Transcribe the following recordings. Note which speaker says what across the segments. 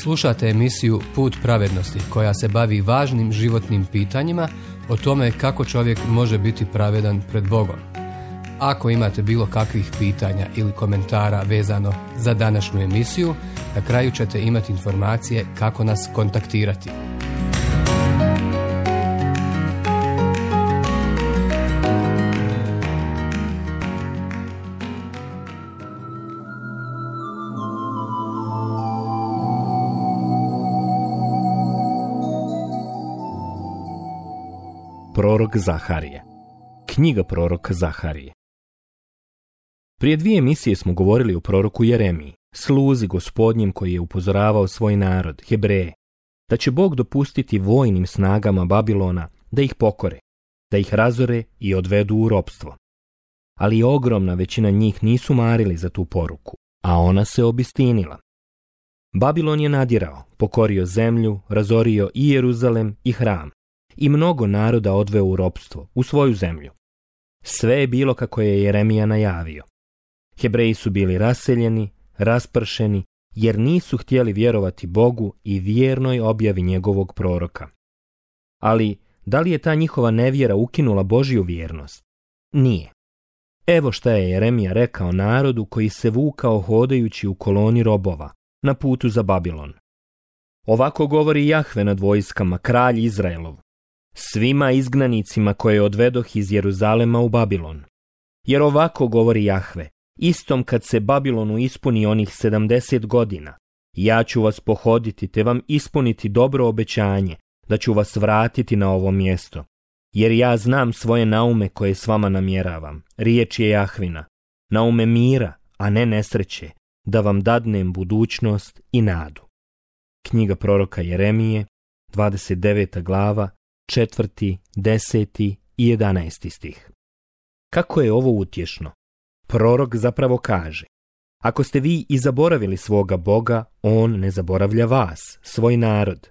Speaker 1: Slušate emisiju Put pravednosti koja se bavi važnim životnim pitanjima o tome kako čovjek može biti pravedan pred Bogom. Ako imate bilo kakvih pitanja ili komentara vezano za današnju emisiju, na kraju ćete imati informacije kako nas kontaktirati.
Speaker 2: Prorok Zaharije. Knjiga proroka Zaharije. Prije 2 emisije smo govorili o proroku Jeremiji, sluzi Gospodnjem koji je upozoravao svoj narod, Hebreje, da će Bog dopustiti vojnim snagama Babilona da ih pokore, da ih razore i odvedu u ropstvo. Ali ogromna većina njih nisu marili za tu poruku, a ona se obistinila. Babilon je nadirao, pokorio zemlju, razorio i Jeruzalem i hram, i mnogo naroda odveo u ropstvo, u svoju zemlju. Sve je bilo kako je Jeremija najavio. Hebreji su bili raseljeni, raspršeni, jer nisu htjeli vjerovati Bogu i vjernoj objavi njegovog proroka. Ali, da li je ta njihova nevjera ukinula Božju vjernost? Nije. Evo šta je Jeremija rekao narodu koji se vukao hodajući u koloni robova, na putu za Babilon. Ovako govori Jahve nad vojskama, kralj Izraelov, svima izgnanicima koje odvedoh iz Jeruzalema u Babilon. Jer ovako govori Jahve, istom kad se Babilonu ispuni onih 70 godina, ja ću vas pohoditi te vam ispuniti dobro obećanje, da ću vas vratiti na ovo mjesto. Jer ja znam svoje naume koje s vama namjeravam, riječ je Jahvina, naume mira, a ne nesreće, da vam dadnem budućnost i nadu. Knjiga proroka Jeremije, 29. glava, 4., 10. i 11. stih. Kako je ovo utješno? Prorok zapravo kaže, ako ste vi i zaboravili svoga Boga, on ne zaboravlja vas, svoj narod.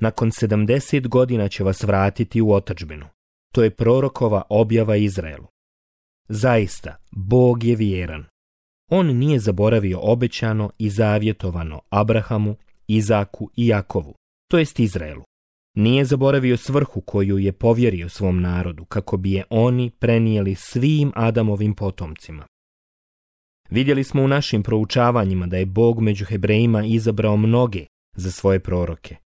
Speaker 2: Nakon 70 godina će vas vratiti u otadžbinu. To je prorokova objava Izraelu. Zaista, Bog je vjeran. On nije zaboravio obećano i zavjetovano Abrahamu, Izaku i Jakovu, to jest Izraelu. Nije zaboravio svrhu koju je povjerio svom narodu, kako bi je oni prenijeli svim Adamovim potomcima. Vidjeli smo u našim proučavanjima da je Bog među Hebrejima izabrao mnoge za svoje proroke.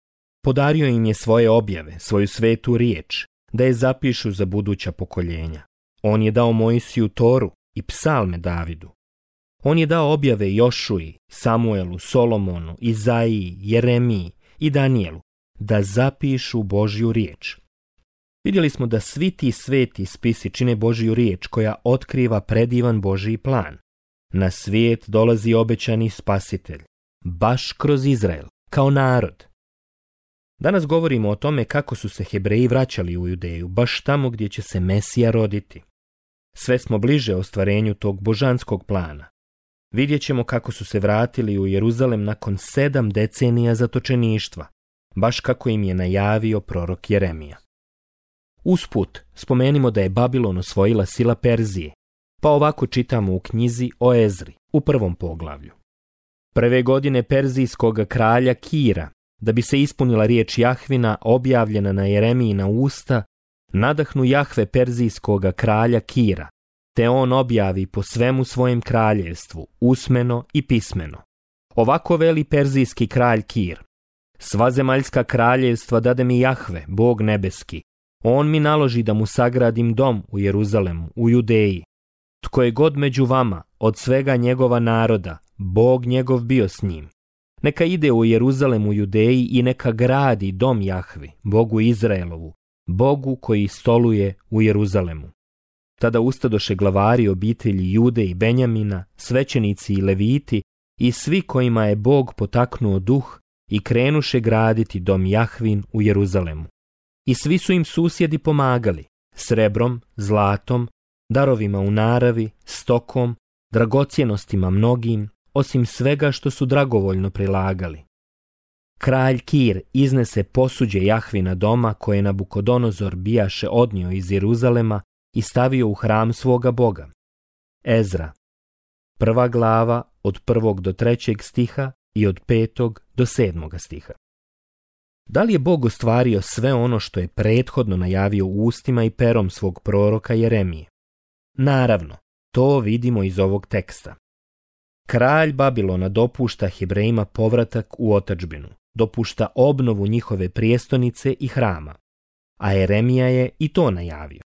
Speaker 2: Podario im je svoje objave, svoju svetu riječ, da je zapišu za buduća pokoljenja. On je dao Mojsiju Toru i psalme Davidu. On je dao objave Jošuji, Samuelu, Solomonu, Izaiji, Jeremiji i Danijelu, da zapišu Božju riječ. Vidjeli smo da svi ti sveti spisi čine Božju riječ koja otkriva predivan Božji plan. Na svijet dolazi obećani spasitelj, baš kroz Izrael, kao narod. Danas govorimo o tome kako su se Hebreji vraćali u Judeju, baš tamo gdje će se Mesija roditi. Sve smo bliže ostvarenju tog božanskog plana. Vidjet ćemo kako su se vratili u Jeruzalem nakon 7 decenija zatočeništva, baš kako im je najavio prorok Jeremija. Usput, spomenimo da je Babilon osvojila sila Perzije, pa ovako čitamo u knjizi o Ezri, u 1. poglavlju. Prve godine perzijskog kralja Kira, da bi se ispunila riječ Jahvina objavljena na Jeremijina usta, nadahnu Jahve perzijskog kralja Kira, te on objavi po svemu svojem kraljevstvu, usmeno i pismeno. Ovako veli perzijski kralj Kir, sva zemaljska kraljevstva dade mi Jahve, Bog nebeski. On mi naloži da mu sagradim dom u Jeruzalemu, u Judeji. Tko je god među vama, od svega njegova naroda, Bog njegov bio s njim. Neka ide u Jeruzalem u Judeji i neka gradi dom Jahvi, Bogu Izraelovu, Bogu koji stoluje u Jeruzalemu. Tada ustadoše glavari obitelji Jude i Benjamina, svećenici i leviti i svi kojima je Bog potaknuo duh i krenuše graditi dom Jahvin u Jeruzalemu. I svi su im susjedi pomagali, srebrom, zlatom, darovima u naravi, stokom, dragocjenostima mnogim, osim svega što su dragovoljno prilagali. Kralj Kir iznese posuđe Jahvina doma koje Nabukodonozor bijaše odnio iz Jeruzalema i stavio u hram svoga Boga. Ezra, 1. glava od 1. do 3. stiha i od 5. do 7. stiha. Da li je Bog ostvario sve ono što je prethodno najavio ustima i perom svog proroka Jeremije? Naravno, to vidimo iz ovog teksta. Kralj Babilona dopušta Hebrejima povratak u otadžbinu, dopušta obnovu njihove prijestolnice i hrama, a Jeremija je i to najavio.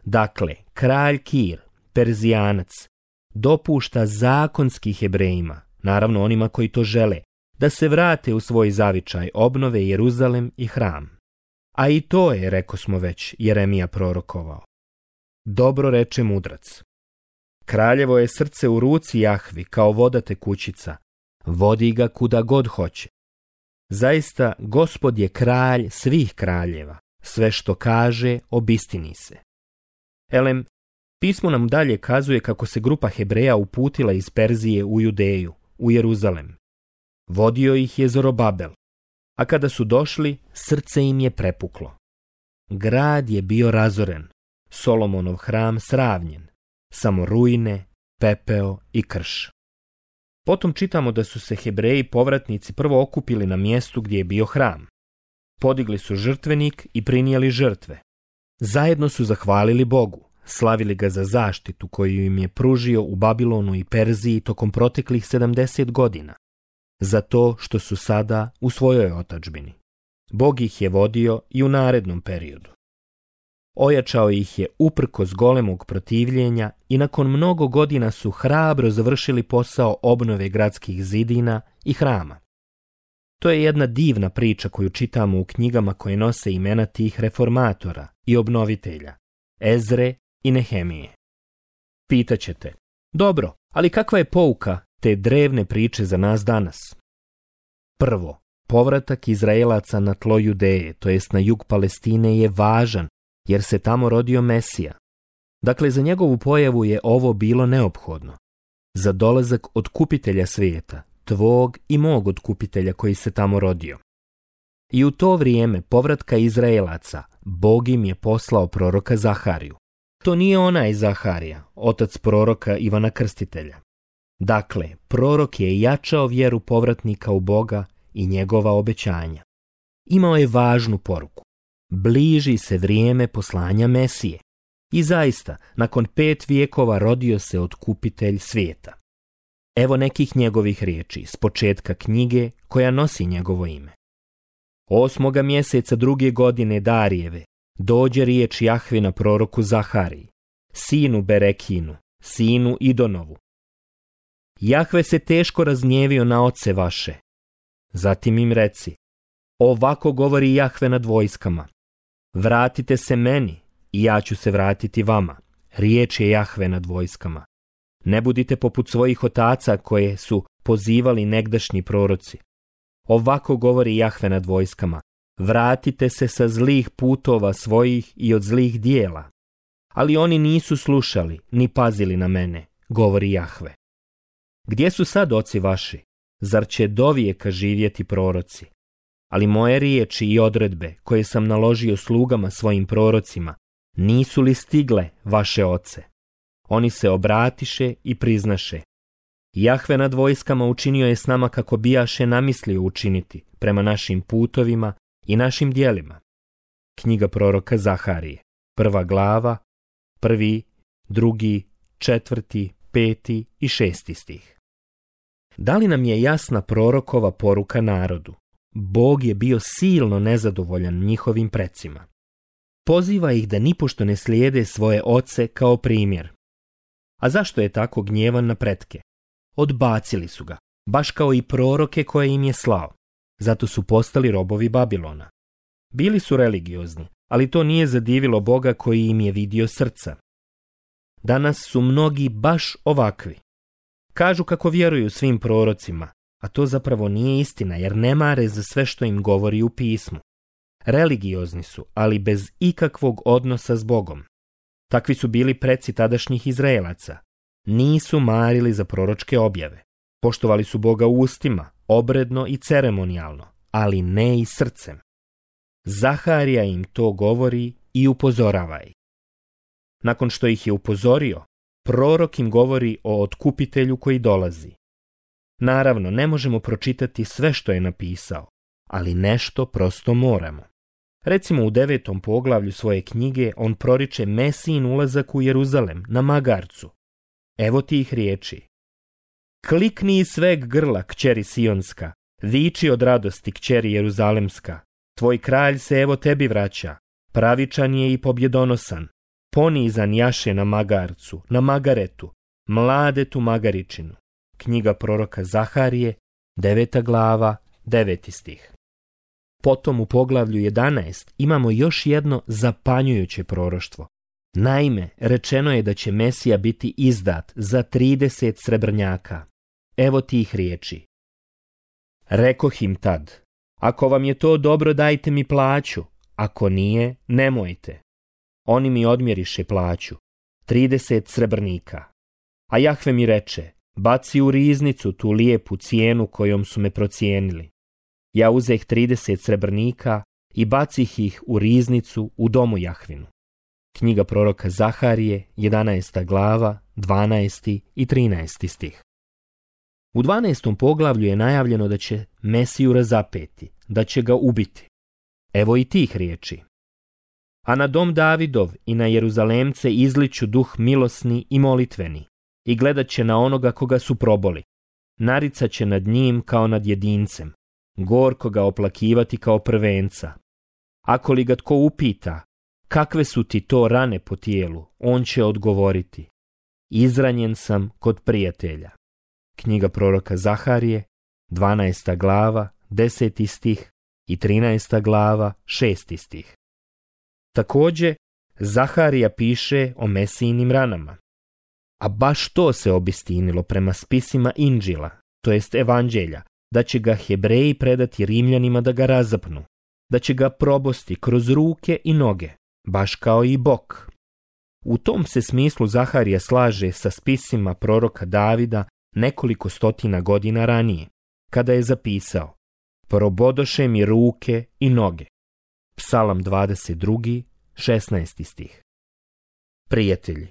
Speaker 2: Dakle, kralj Kir, Perzijanac, dopušta zakonski Hebrejima, naravno onima koji to žele, da se vrate u svoj zavičaj, obnove Jeruzalem i hram. A i to je, rekosmo već, Jeremija prorokovao. Dobro reče mudrac. Kraljevo je srce u ruci Jahvi kao voda tekućica, vodi ga kuda god hoće. Zaista, Gospod je kralj svih kraljeva, sve što kaže obistini se. Elem, pismo nam dalje kazuje kako se grupa Hebreja uputila iz Perzije u Judeju, u Jeruzalem. Vodio ih je Zorobabel, a kada su došli, srce im je prepuklo. Grad je bio razoren, Solomonov hram sravnjen, samo ruine, pepeo i krš. Potom čitamo da su se Hebreji povratnici prvo okupili na mjestu gdje je bio hram. Podigli su žrtvenik i prinijeli žrtve. Zajedno su zahvalili Bogu, slavili ga za zaštitu koju im je pružio u Babilonu i Perziji tokom proteklih 70 godina. Za to što su sada u svojoj otadžbini. Bog ih je vodio i u narednom periodu. Ojačao ih je uprkos golemog protivljenja i nakon mnogo godina su hrabro završili posao obnove gradskih zidina i hrama. To je jedna divna priča koju čitamo u knjigama koje nose imena tih reformatora i obnovitelja, Ezre i Nehemije. Pitaćete, dobro, ali kakva je pouka te drevne priče za nas danas? Prvo, povratak Izraelaca na tlo Judeje, to jest na jug Palestine, je važan jer se tamo rodio Mesija. Dakle, za njegovu pojavu je ovo bilo neophodno. Za dolazak otkupitelja svijeta, tvog i mog otkupitelja koji se tamo rodio. I u to vrijeme povratka Izraelaca, Bog im je poslao proroka Zahariju. To nije onaj Zaharija, otac proroka Ivana Krstitelja. Dakle, prorok je jačao vjeru povratnika u Boga i njegova obećanja. Imao je važnu poruku. Bliži se vrijeme poslanja Mesije. I zaista, nakon 5 vijekova rodio se otkupitelj svijeta. Evo nekih njegovih riječi s početka knjige koja nosi njegovo ime. 8. mjeseca 2. godine Darijeve dođe riječ Jahvina proroku Zahariji, sinu Berekinu, sinu Idonovu. Jahve se teško razgnjevio na oce vaše. Zatim im reci, ovako govori Jahve nad vojskama. Vratite se meni i ja ću se vratiti vama. Riječ je Jahve nad vojskama. Ne budite poput svojih otaca koje su pozivali negdašnji proroci. Ovako govori Jahve nad vojskama. Vratite se sa zlih putova svojih i od zlih dijela. Ali oni nisu slušali ni pazili na mene, govori Jahve. Gdje su sad oci vaši? Zar će dovijeka živjeti proroci? Ali moje riječi i odredbe koje sam naložio slugama svojim prorocima, nisu li stigle vaše oce? Oni se obratiše i priznaše. Jahve nad vojskama učinio je s nama kako bijaše namislio učiniti prema našim putovima i našim djelima. Knjiga proroka Zaharije, 1. glava, 1., 2., 4., 5. i 6. stih. Da li nam je jasna prorokova poruka narodu? Bog je bio silno nezadovoljan njihovim precima. Poziva ih da nipošto ne slijede svoje oce kao primjer. A zašto je tako gnjevan na pretke? Odbacili su ga, baš kao i proroke koje im je slao. Zato su postali robovi Babilona. Bili su religiozni, ali to nije zadivilo Boga koji im je vidio srca. Danas su mnogi baš ovakvi. Kažu kako vjeruju svim prorocima, a to zapravo nije istina jer ne mare za sve što im govori u pismu. Religiozni su, ali bez ikakvog odnosa s Bogom. Takvi su bili preci tadašnjih Izraelaca. Nisu marili za proročke objave. Poštovali su Boga ustima, obredno i ceremonijalno, ali ne i srcem. Zaharija im to govori i upozorava ih. Nakon što ih je upozorio, prorok im govori o otkupitelju koji dolazi. Naravno, ne možemo pročitati sve što je napisao, ali nešto prosto moramo. Recimo u 9. poglavlju svoje knjige on proriče Mesijin ulazak u Jeruzalem na magarcu. Evo tih riječi. Klikni iz sveg grla, kćeri Sionska, viči od radosti, kćeri Jeruzalemska. Tvoj kralj se evo tebi vraća, pravičan je i pobjedonosan. Ponizan jaše na magarcu, na magaretu, mladetu magaričinu. Knjiga proroka Zaharije, 9. glava, 9. stih. Potom u poglavlju 11 imamo još jedno zapanjujuće proroštvo. Naime, rečeno je da će Mesija biti izdat za 30 srebrnjaka. Evo tih riječi. Rekoh im tad, ako vam je to dobro, dajte mi plaću, ako nije, nemojte. Oni mi odmjeriše plaću, 30 srebrnika. A Jahve mi reče, baci u riznicu tu lijepu cijenu kojom su me procijenili. Ja uzeh 30 srebrnika i bacih ih u riznicu u domu Jahvinu. Knjiga proroka Zaharije, 11. glava, 12. i 13. stih. U 12. poglavlju je najavljeno da će Mesiju razapeti, da će ga ubiti. Evo i tih riječi. A na dom Davidov i na Jeruzalemce izliću duh milosni i molitveni i gledat će na onoga koga su proboli. Naricat će nad njim kao nad jedincem, gorko ga oplakivati kao prvenca. Ako li ga tko upita, kakve su ti to rane po tijelu, on će odgovoriti, izranjen sam kod prijatelja. Knjiga proroka Zaharije, 12. glava, 10. stih i 13. glava, 6. stih. Također, Zaharija piše o Mesijinim ranama. A baš to se obistinilo prema spisima Inđila, to jest Evanđelja, da će ga Hebreji predati Rimljanima da ga razapnu, da će ga probosti kroz ruke i noge, baš kao i bok. U tom se smislu Zaharija slaže sa spisima proroka Davida nekoliko stotina godina ranije, kada je zapisao: probodoše mi ruke i noge. Psalam 22, 16. stih. Prijatelji,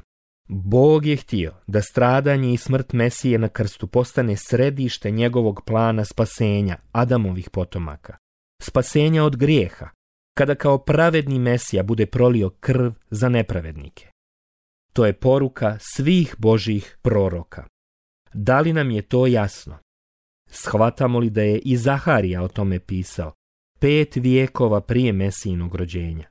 Speaker 2: Bog je htio da stradanje i smrt Mesije na krstu postane središte njegovog plana spasenja Adamovih potomaka, spasenja od grijeha, kada kao pravedni Mesija bude prolio krv za nepravednike. To je poruka svih Božjih proroka. Da li nam je to jasno? Shvatamo li da je i Zaharija o tome pisao 5 vijekova prije Mesijinog rođenja?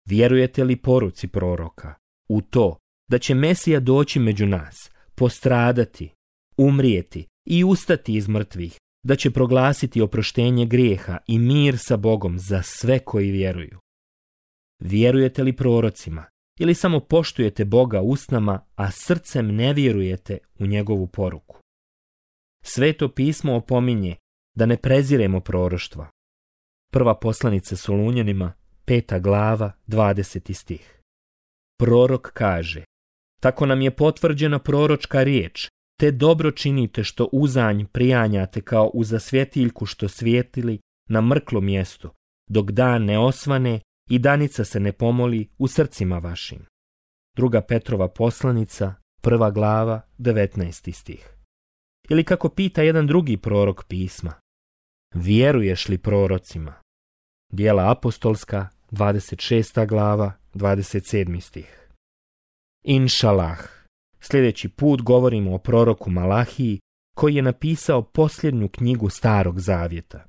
Speaker 2: Vjerujete li poruci proroka u to da će Mesija doći među nas, postradati, umrijeti i ustati iz mrtvih, da će proglasiti oproštenje grijeha i mir sa Bogom za sve koji vjeruju? Vjerujete li prorocima ili samo poštujete Boga usnama, a srcem ne vjerujete u njegovu poruku? Sveto pismo opominje da ne preziremo proroštva. Prva poslanica Solunjanima, 5. glava, 20. stih. Prorok kaže: tako nam je potvrđena proročka riječ, te dobro činite što uzanj prijanjate kao uza svjetiljku što svijetili na mrklom mjestu, dok dan ne osvane i danica se ne pomoli u srcima vašim. Druga Petrova poslanica, 1. glava, 19. stih. Ili kako pita jedan drugi prorok pisma: vjeruješ li prorocima? Djela apostolska, 26. glava, 27. stih. Inšalah, sljedeći put govorimo o proroku Malahiji, koji je napisao posljednju knjigu Starog zavjeta.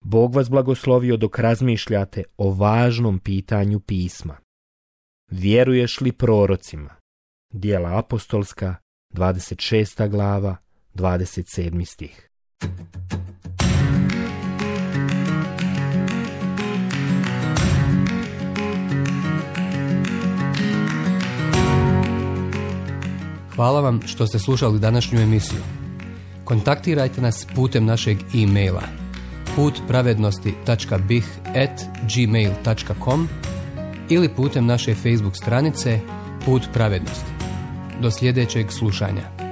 Speaker 2: Bog vas blagoslovio dok razmišljate o važnom pitanju pisma. Vjeruješ li prorocima? Djela apostolska, 26. glava, 27. stih.
Speaker 1: Hvala vam što ste slušali današnju emisiju. Kontaktirajte nas putem našeg e-maila putpravednosti.bih@gmail.com ili putem naše Facebook stranice Put pravednosti. Do sljedećeg slušanja.